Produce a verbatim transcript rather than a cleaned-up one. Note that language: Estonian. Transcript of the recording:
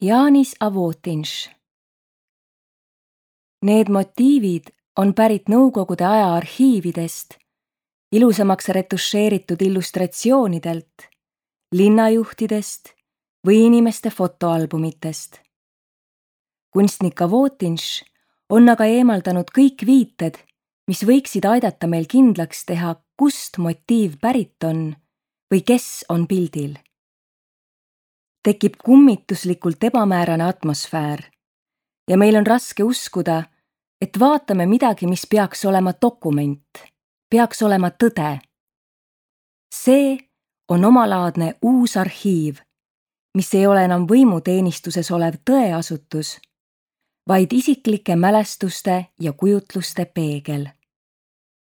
Jānis Avotinš. Need motiivid on pärit Nõukogude aja arhiividest, ilusamaks retušeeritud illustratsioonidelt, linnajuhtidest või inimeste fotoalbumitest. Kunstnik Avotinš on aga eemaldanud kõik viited, mis võiksid aidata meil kindlaks teha, kust motiiv pärit on või kes on pildil. Tekib kummituslikult ebamäärane atmosfäär ja meil on raske uskuda, et vaatame midagi, mis peaks olema dokument, peaks olema tõde. See on omalaadne uus arhiiv, mis ei ole enam võimuteenistuses olev tõeasutus, vaid isiklike mälestuste ja kujutluste peegel.